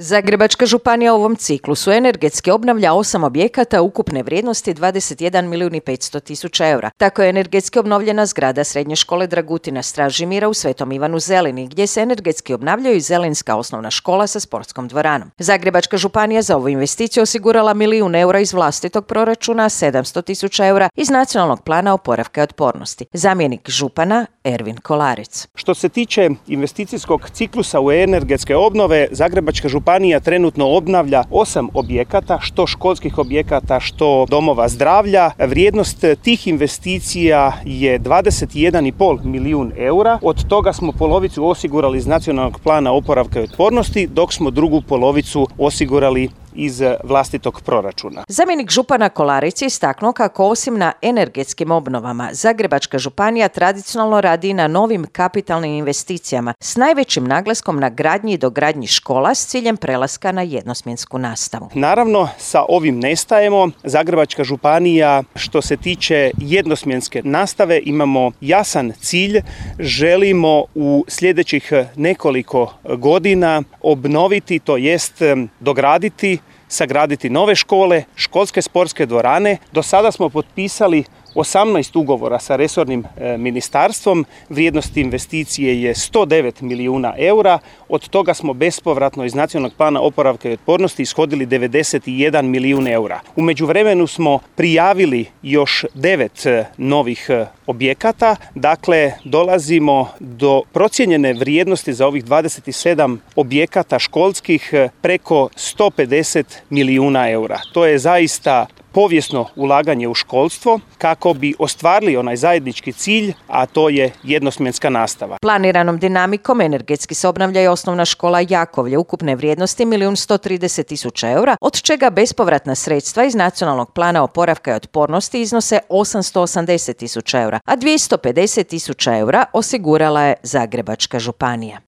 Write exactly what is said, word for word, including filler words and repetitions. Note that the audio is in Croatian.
Zagrebačka županija u ovom ciklusu energetski obnavlja osam objekata ukupne vrijednosti dvadeset jedan milijun i petsto tisuća eura. Tako je energetski obnovljena zgrada Srednje škole Dragutina Stražimira u Svetom Ivanu Zelini, gdje se energetski obnavljaju i Zelinska osnovna škola sa sportskom dvoranom. Zagrebačka županija za ovu investiciju osigurala milijun eura iz vlastitog proračuna, sedamsto tisuća eura iz Nacionalnog plana oporavka i otpornosti. Zamjenik župana Ervin Kolarec. Što se tiče investicijskog ciklusa u energetske obnove, Zagrebačka županija trenutno obnavlja osam objekata, što školskih objekata, što domova zdravlja. Vrijednost tih investicija je dvadeset jedan i pol milijun eura. Od toga smo polovicu osigurali iz Nacionalnog plana oporavka i otpornosti, dok smo drugu polovicu osigurali iz vlastitog proračuna. Zamjenik župana Kolarić je istaknuo kako osim na energetskim obnovama, Zagrebačka županija tradicionalno radi na novim kapitalnim investicijama s najvećim naglaskom na gradnji i dogradnji škola s ciljem prelaska na jednosmjensku nastavu. Naravno, sa ovim ne stajemo. Zagrebačka županija, što se tiče jednosmjenske nastave, imamo jasan cilj. Želimo u sljedećih nekoliko godina obnoviti, to jest dograditi, sagraditi nove škole, školske sportske dvorane. Do sada smo potpisali osamnaest ugovora sa resornim e, ministarstvom. Vrijednost investicije je sto devet milijuna eura. Od toga smo bespovratno iz Nacionalnog plana oporavka i otpornosti ishodili devedeset jedan milijun eura. U međuvremenu smo prijavili još devet e, novih e, objekata. Dakle, dolazimo do procijenjene vrijednosti za ovih dvadeset sedam objekata školskih e, preko sto pedeset milijuna eura. To je zaista povijesno ulaganje u školstvo kako bi ostvarili onaj zajednički cilj, a to je jednosmjenska nastava. Planiranom dinamikom energetski se obnavlja i osnovna škola Jakovlje ukupne vrijednosti milijun sto trideset tisuća eura, od čega bespovratna sredstva iz Nacionalnog plana oporavka i otpornosti iznose osamsto osamdeset tisuća eura, a dvjesto pedeset tisuća eura osigurala je Zagrebačka županija.